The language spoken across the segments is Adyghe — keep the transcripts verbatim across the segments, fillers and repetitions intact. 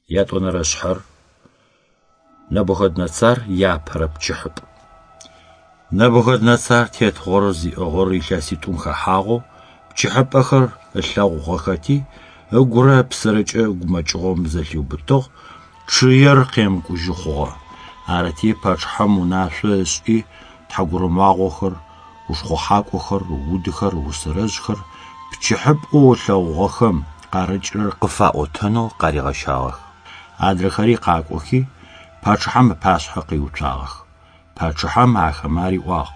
Ятӏонэрэ шъхьэр Нэбухэднэцар иапэрэ пчыхьыпӏ. Нэбухэднэцар тетыгъор зиӏыгъыр илъэситӏум хэхьагъэу пчыхьыпӏэхэр ылъэгъугъэхэти, ыгурэ ыпсэрэкӏэ гумэкӏыгъом зэлъиубытыгъ, чъыер къемыкӏужьы хъугъэ. Арыти пачъыхьэм унашъо ышӏи тхьэгурымагъохэр, ушхъухьакӏохэр, удыхэр, усэрэжъхэр пчыхьыпӏэу ылъэгъугъэхэм къарыкӏырэр къыфаӏотэнэу къаригъэщагъэх. Адрэхэри къакӏохи пачъыхьэм ыпашъхьэ къиуцуагъэх. Пачъыхьэм ахэмэ ариӏуагъ: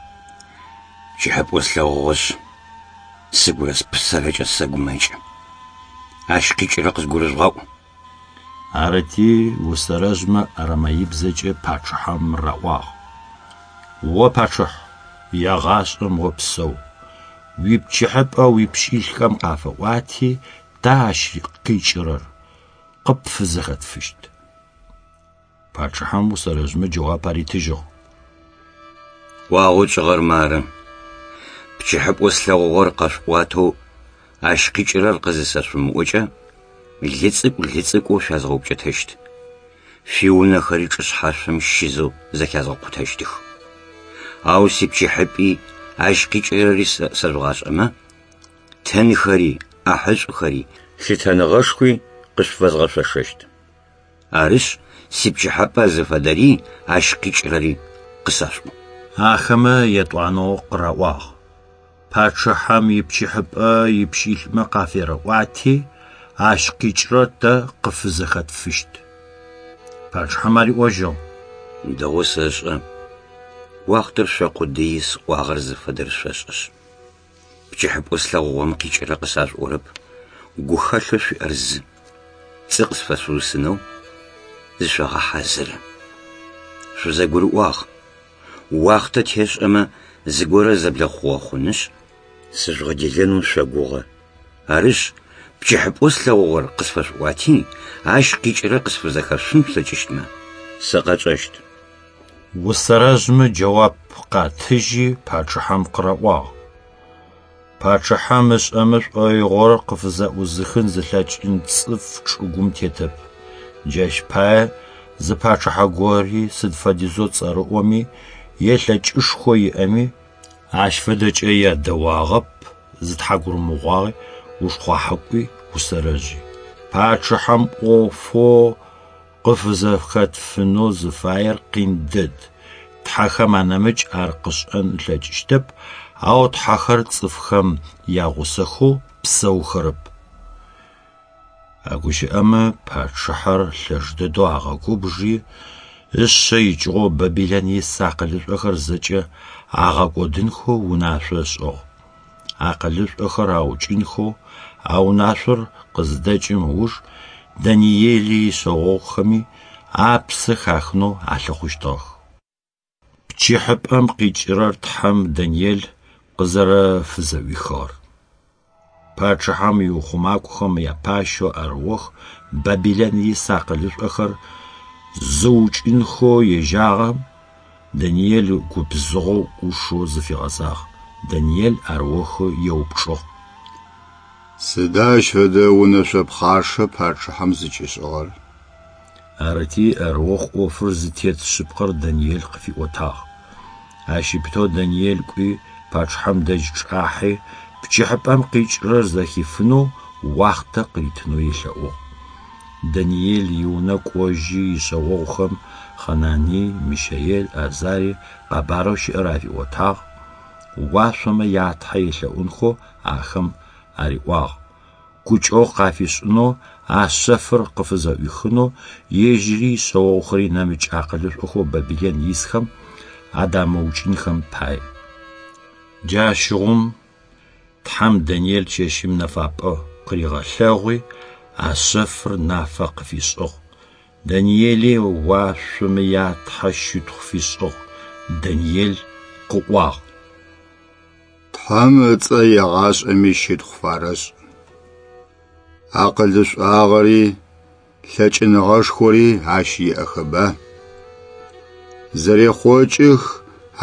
Пчыхьыпӏэу слъэгъугъэшъ, сыгурэ спсэрэкӏэ сэгумэкӏы. Ащ къикӏырэр къызгурыжъугъаӏу. Арыти усэрэжъмэ арамеибзэкӏэ пачъыхьэм раӏуагъ: О пачъыхь, егъашӏэм опсэу! Уипчыхьыпӏэ уипщылӏхэм къафэӏуати, тэ ащ къикӏырэр къыпфызэхэтфыщт. Пачъыхьэм усэрэжъмэ джэуап аритыжьыгъ: Ӏуагъэу тшӏыгъэр мары: пчыхьыпӏэу слъэгъугъэр къэшъуӏуатэу ащ къикӏырэр къызысэшъумыӏокӏэ, лы цӏыкӏу лы цӏыкӏоу шъуязгъэупкӏэтэщт. Шъуиунэхэри чӏышъхьашъом щизэу зэхязгъэкъутэщтых. Ау сипчыхьыпӏи ащ къикӏырэри сэжъугъашӏэмэ, тынхэри, ӏахьышӏухэри, лъытэныгъэшхуи къышъуфэзгъэшъошэщт. Арышъ, сипчыхьапӏэ зыфэдэри ащ къикӏырэри къысашъуӏу. Ахэмэ етӏуанэу къыраӏуагъ: Пачъыхьэм ипчыхьыпӏэ ипщылӏмэ къаферэӏуати, ащ къикӏырэр тэ къыфызэхэтфыщт. Пачъыхьэм ариӏожьыгъ: Дэгъоу сэшӏэ, уахътэр шъокъудыи сӏуагъэр зыфэдэр шъошӏэшъ. Пчыхьыпӏэу слъэгъугъэм къикӏырэр къысашъуӏорэп, гухэлъэу шъуиӏэр зы. Пцӏы къысфэшъуусынэу зышъогъэхьазыры. Шъузэгурыӏуагъ: уахътэ тешӏэмэ зыгорэ зэблэхъугъэ хъунышъ, сыжъугъэделэнэу шъогугъэ. Арышъ, пчыхьыпӏэу слъэгъугъэр къысфэшъуӏуати, ащ къикӏырэр къысфызэхэшъуфын шъулъэкӏыщтмэ, сэ къэчӏэщт. Усэрэжъмэ джэуап къатыжьи пачъыхьэм къыраӏуагъ: Пачъыхьэм ышӏэмэ шӏоигъор къыфызэӏузыхын зылъэкӏын цӏыф чӏыгум тетэп. Джащ пае зы пачъыхьэ гори сыд фэдизэу цӏэрыӏоми е лъэкӏышхо иӏэми ащ фэдэкӏэ ядэуагъэп зы тхьэгурымагъуи, ушхъухьакӏуи, усэрэжъи. Пачъыхьэм ӏофэу къыфызэхэтфынэу зыфаер къин дэд. Тхьэхэм анэмыкӏ ар къышӏэн ылъэкӏыщтэп, ау тхьэхэр цӏыфхэм ягъусэхэу псэухэрэп. А гущыӏэмэ пачъыхьэр лъэш дэдэу агъэгубжи, ышъэ икӏыгъэу Бабилэн ис акъылышӏохэр зэкӏэ агъэкӏодынхэу унашъо ышӏыгъ. Акъылышӏохэр аукӏынхэу а унашъор къызыдэкӏым ыуж Даниели ишъэогъухэми апсэ хахынэу алъыхъущтыгъэх. Пчыхьыпӏэм къикӏырэр Тхьэм Даниел къызэрэфызэӏуихыгъэр. Пачъыхьэм иухъумакӏохэм япащэу Арыох Бабилэн ис акъылышӏохэр зыукӏынхэу ежьагъэм Даниел губзыгъэу ӏушэу зыфигъэзагъ. Даниел Арыох еупчӏыгъ: Сыда ащ фэдэ унэшъо пхъашэ пачъыхьэм зыкӏишӏыгъэр? Арыти Арыох ӏофыр зытет шъыпкъэр Даниел къыфиӏотагъ. Ащ ыпэу Даниел кӏуи пачъыхьэм дэжь чӏахьи пчыхьыпӏэм къикӏырэр зэхифынэу уахътэ къыритынэу елъэӏугъ. Даниел иунэ кӏожьи ишъэогъухэм Хъэнаный, Мищаел, Азарий къэбарэу щыӏэр афиӏотагъ, уашъомэ я Тхьэ елъэӏунхэу ахэм ариӏуагъ. Гукӏэгъу къафишӏынэу, а шъэфыр къыфызэӏуихынэу, ежьыри ишъэогъухэри нэмыкӏ акъылышӏохэу Бабилэн исхэм адамыукӏынхэм пае. Джащыгъум Тхьэм Даниел чэщым нэфапӏэ къыригъэлъэгъуи, а шъэфыр нафэ къыфишӏыгъ. Даниели уашъомэ я Тхьэ щытхъу фишӏыгъ. Даниел къыӏуагъ: Тхьэм ыцӏэ егъашӏэми щытхъу фарэшӏ. Акъылышӏуагъэри, лъэкӏыныгъэшхори ащ иӏэхэба. Зэрехъокӏых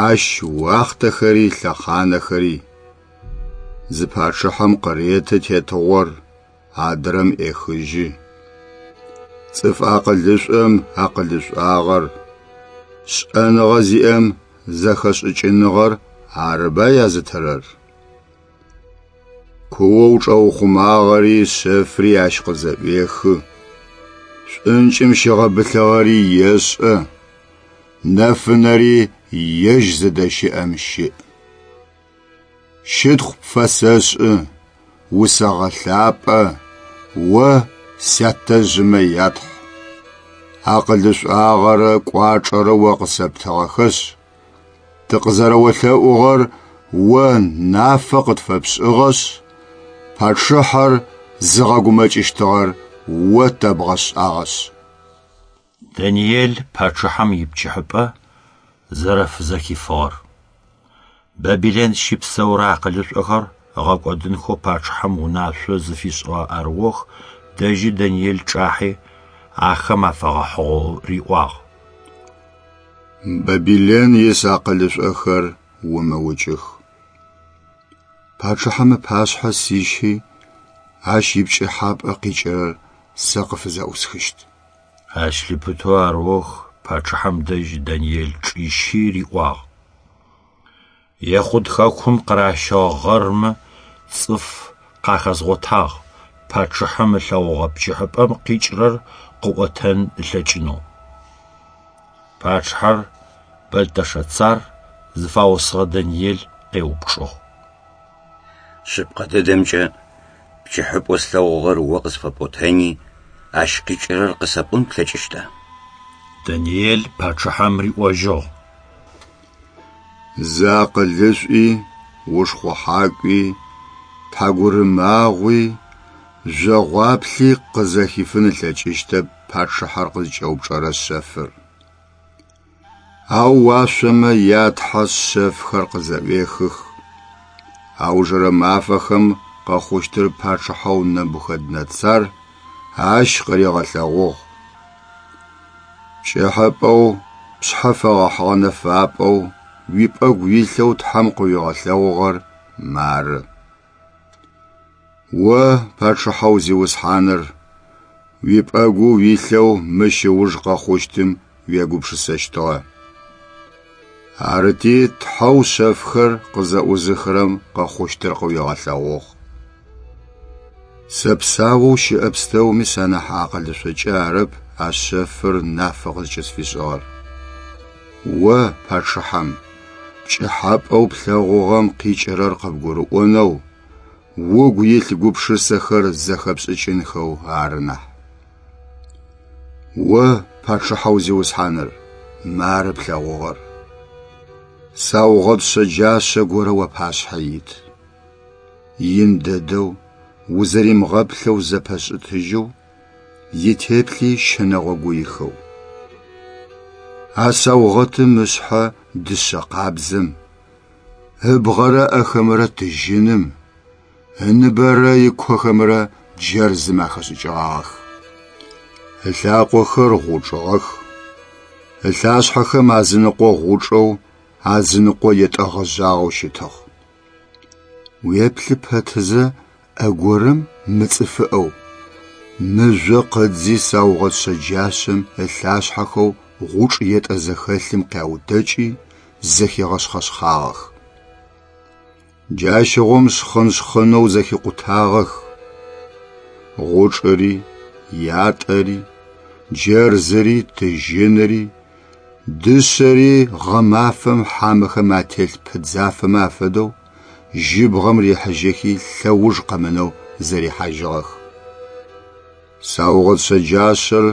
ащ уахътэхэри лъэхъанэхэри. Зы пачъыхьэм къыреты тетыгъор, адрэм ӏехыжьы. Цӏыф акъылышӏом акъылышӏуагъэр, шӏэныгъэ зиӏэм зэхэшӏыкӏыныгъэр арыба язытырэр. Куоу чӏэухъумагъэри шъэфри ащ къызэӏуехы, шӏункӏым щыгъэбылъыгъэри ешӏэ, нэфынэри ежь зыдэщыӏэм щыӏ. Щытхъу пфэсэшӏы, усэгъэлъапӏэ, о сятэжъымэ ятхь. Акъылышӏуагъэрэ кӏуачӏэрэ о къысэптыгъэхэшъ, тыкъызэрэолъэӏугъэр о нафэ къытфэпшӏыгъэшъ, пачъыхьэр зыгъэгумэкӏыщтыгъэр о тэбгъэшӏагъэшъ. Даниел пачъыхьэм ипчыхьыпӏэ зэрэфызэхифыгъэр. Бабилэн щыпсэурэ акъылышӏохэр ыгъэкӏодынхэу пачъыхьэм унашъо зыфишӏыгъэ Арыох дэжьы Даниел чӏахьи ахэм афэгъэхьыгъэу риӏуагъ. Бабилэн ис акъылышӏохэр умыукӏых. Пачъыхьэм ыпашъхьэ сищи, ащ ипкӏыхьапӏэ къикӏырэр сэ къыфызэӏусхыщт. Ащ лъыпытэу Арыох пачъыхьэм дэжь Даниел чӏищи риӏуагъ: Ехъуд хэкум къыращыгъэ гъэрмэ цӏыф къахэзгъотагъ пачъыхьэм ылъэгъугъэ пкӏыхьапӏэм къикӏырэр къыӏотэн ылъэкӏынэу. Пачъыхьэр Бэлтэшэцар зыфаусыгъэ Даниел къеупчӏыгъ. Шъыпкъэ дэдэмкӏэ пкӏыхьапӏэу слъэгъугъэр о къысфэпӏотэни, ащ къикӏырэр къысэпӏон плъэкӏыщта? Даниел пачъыхьэм риӏожьыгъ. Зы акъылышӏуи, ушхъухьакӏуи, тхьагурымагъуи, жъогъуаплъи къызэхифын ылъэкӏыщтэп пачъыхьэр къызкӏэупчӏэрэ шъэфыр. Ау уашъомэ ятхьэ шъэфхэр къызэӏуехых. Аужырэ мафэхэм къэхъущтыр пачъыхьэу Нэбухэднэцар ащ къыригъэлъэгъугъ. Пкӏыхьапӏэу пшъхьэ фэгъэхьыгъэ нэфапӏэу уипӏэгу илъэу Тхьэм къыуигъэлъэгъугъэр мары. О, пачъыхьэу зиусхьаныр, уипӏэгу уилъэу мыщ ыуж къэхъущтым уегупшысэщтыгъэ. Арыти Тхьэу шъэфхэр къызэӏузыхырэм къэхъущтыр къыуигъэлъэгъугъ. Сэ псаоу щыӏэ пстэуми санахь акъылышӏокӏэ арэп а шъэфыр нафэ къызкӏысфишӏыгъэр. О, пачъыхьэм, пкӏыхьапӏэу плъэгъугъэм къикӏырэр къыбгурыӏонэу, угу илъ гупшысэхэр зэхэпшӏыкӏынхэу ары нахь. О, пачъыхьэу зиусхьаныр, мары плъэгъугъэр. Саугъэт шъэджашъэ горэ уапашъхьэ ит. Ин дэдэу, узэримыгъэплъэу зэпэшӏытыжьэу, итеплъи щынэгъо гуихэу. А саугъэтым ышъхьэ дышъэ къабзэм, ыбгъэрэ ӏэхэмрэ тыжьыным, ыныбэрэ икохэмрэ джэрзым ахэшӏыкӏыгъагъэх. Ылъакъохэр гъучӏыгъэх, ылъашъхьэхэм азыныкъо гъучӏэу, азыныкъо етӏэгъэжъагъэу щытыгъ. Уеплъы пэтызэ ӏэ горэм мыцӏыфыӏэу, мыжъо къыдзи саугъэт шъэджашъэм ылъашъхьэхэу гъучӏ етӏэ зэхэлъым къяутэкӏи зэхигъэшъхъэшъхъагъэх. Джащыгъум шхъын-шхъынэу зэхикъутагъэх. Гъучӏыри, ятӏэри, джэрзыри, тыжьыныри, дышъэри гъэмафэм хьамэхэм ателъ пыдзафэмэ афэдэу жьыбгъэм рихьыжьэхи лъэуж къэмынэу зэрихьажьыгъэх. Саугъэт шъэджашъэр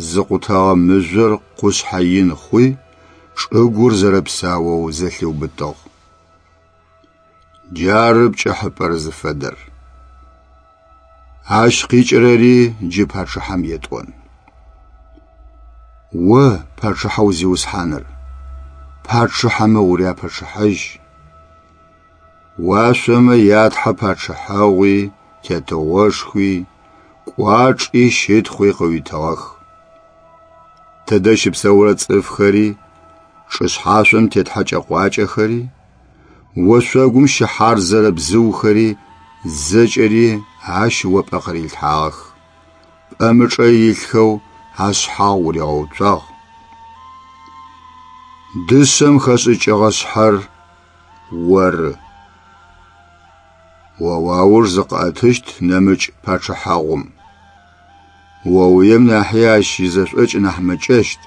зыкъутэгъэ мыжъор къушъхьэ ин хъуи, чӏыгур зэрэпсаоу зэлъиубытыгъ. Джары пкӏыхьапӏэр зыфэдэр. Ащ къикӏырэри джы пачъыхьэм етӏон. О, пачъыхьэу зиусхьаныр, пачъыхьэмэ уряпачъыхьэжь. Уашъомэ ятхьэ пачъыхьэгъуи, тетыгъошхуи, кӏуачӏи щытхъуи къыуитыгъэх. Тэдэ щыпсэурэ цӏыфхэри, чӏышъхьашъом тет хьэкӏэ-къуакӏэхэри, ошъогум щыхьарзэрэ бзыухэри зэкӏэри ащ о пӏэ къырилъхьагъэх. Пӏэмычӏэ илъхэу ашъхьагъ уригъэуцуагъ. Дышъэм хэшӏыкӏыгъэ шъхьэр оры. О уауж зыкъыӏэтыщт нэмыкӏ пачъыхьагъум. Оуем нахьи ащ изэшӏокӏ нахь мэкӏэщт.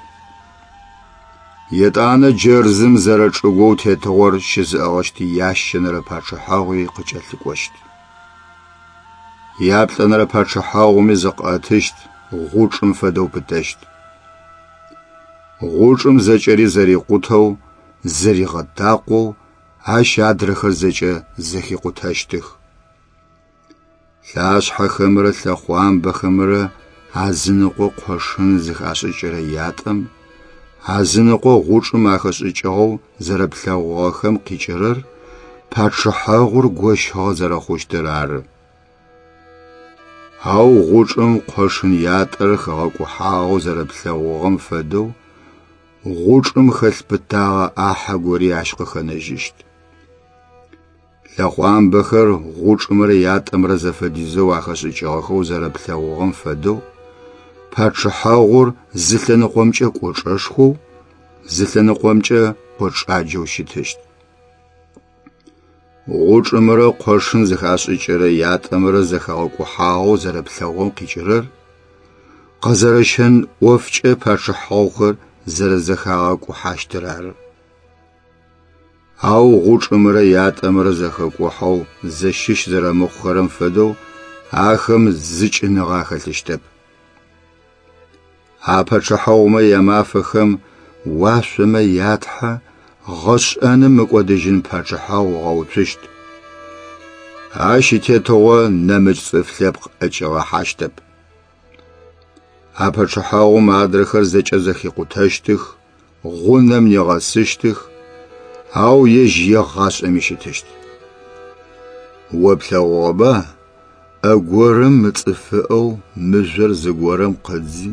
Етӏанэ джэрзым зэрэчӏыгоу тетыгъор щызыӏыгъыщт ящэнэрэ пачъыхьагъуи къыкӏэлъыкӏощт. Яплӏэнэрэ пачъыхьагъуми зыкъыӏэтыщт, гъучӏым фэдэу пытэщт. Гъучӏым зэкӏэри зэрикъутэу, зэригъэтакъоу ащ адрэхэр зэкӏэ зэхикъутэщтых. Лъашъхьэхэмрэ лъэхъуамбэхэмрэ азыныкъо къошын зыхашӏыкӏырэ ятӏэм, азыныкъо гъучӏым ахэшӏыкӏыгъэу зэрэплъэгъугъэхэм къикӏырэр пачъыхьагъур гощыгъэ зэрэхъущтыр ары. Ау гъучӏым къошын ятӏэр хэгъэкӏухьагъэу зэрэплъэгъугъэм фэдэу гъучӏым хэлъ пытагъэ ӏахьэ гори ащ къыхэнэжьыщт. Лъэхъуамбэхэр гъучӏымрэ ятӏэмрэ зэфэдизэу ахэшӏыкӏыгъэхэу зэрэплъэгъугъэм фэдэу пачъыхьагъур зы лъэныкъомкӏэ кӏочӏэшхоу, зы лъэныкъомкӏэ кӏочӏаджэу щытыщт. Гъучӏымрэ къошын зыхашӏыкӏырэ ятӏэмрэ зэхэгъэкӏухьагъэу зэрэплъэгъугъэм къикӏырэр къэзэрэщэн ӏофкӏэ пачъыхьагъухэр зэрэзэхагъэкӏухьащтыр ары. Ау гъучӏымрэ ятӏэмрэ зэхэкӏухьэу зэщыщ зэрэмыхъухэрэм фэдэу ахэм зыкӏыныгъэ ахэлъыщтэп. А пачъыхьагъумэ ямафэхэм уашъомэ ятхьэ гъэшӏэным мыкӏодыжьын пачъыхьагъу ыгъэуцущт. Ащ итетыгъо нэмыкӏ цӏыф лъэпкъ ӏэкӏигъэхьащтэп. А пачъыхьагъум адрэхэр зэкӏэ зэхикъутэщтых, гъунэм нигъэсыщтых, ау ежь егъашӏэми щытыщт. О плъэгъугъэба ӏэ горэм мыцӏыфыӏэу мыжъор зыгорэм къыдзи,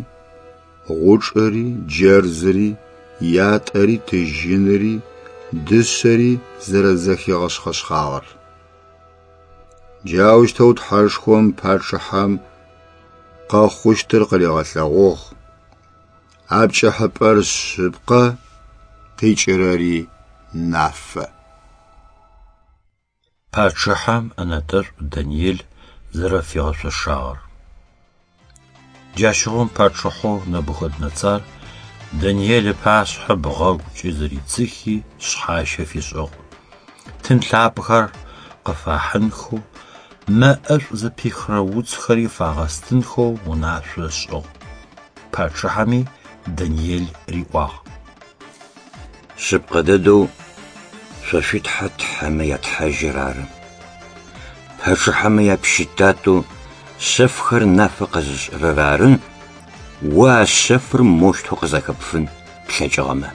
гъучӏыри, джэрзыри, ятӏэри, тыжьыныри, дышъэри зэрэзэхигъэшъхъэшъхъагъэр. Джаущтэу Тхьэшхом пачъыхьэм къэхъущтыр къыригъэлъэгъугъ. А пкӏыхьыпӏэр шъыпкъэ, къикӏырэри нафэ. Пачъыхьэм ӏэнэтӏэшӏу Даниел зэрэфигъэшъошагъэр. Джащыгъум пачъыхьэу Нэбухэднэцар Даниел ыпашъхьэ бгъэгукӏэ зыридзыхи шъхьащэ фишӏыгъ. Тын лъапӏэхэр къыфахьынхэу, мэ ӏэшӏу зыпихырэ уцхэри фагъэстынхэу унашъо ышӏыгъ. Пачъыхьэми Даниел риӏуагъ: Шъыпкъэ дэдэу шъо шъуи Тхьэ тхьэмэ я Тхьэжьыр ары. Пачъыхьэмэ япщытатэу шъэфхэр нафэ къэзышӏырэр ары, о а шъэфыр моущтэу къызэхэпфын плъэкӏыгъэмэ.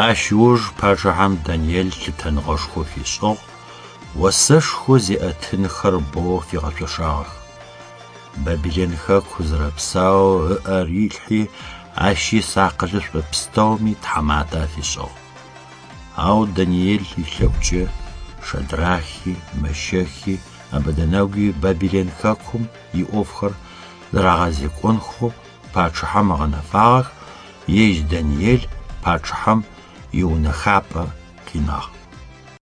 Ащ ыуж пачъыхьэм Даниел лъытэныгъэшхо фишӏыгъ, осэшхо зиӏэ тынхэр боу фигъэшъошагъэх. Бабилэн хэку зэрэпсаоу ыӏэ рилъхьи, ащ ис акъылышӏо пстэуми тхьаматэ афишӏыгъ. Ау Даниел илъэӏукӏэ Шадрахи, Мэщэхи, Абэдэнэгуи Бабилэн хэкум иӏофхэр зэрагъэзекӏонхэу пачъыхьэм ыгъэнэфагъэх, ежь Даниел пачъыхьэм иунэхапӏэ къинагъ.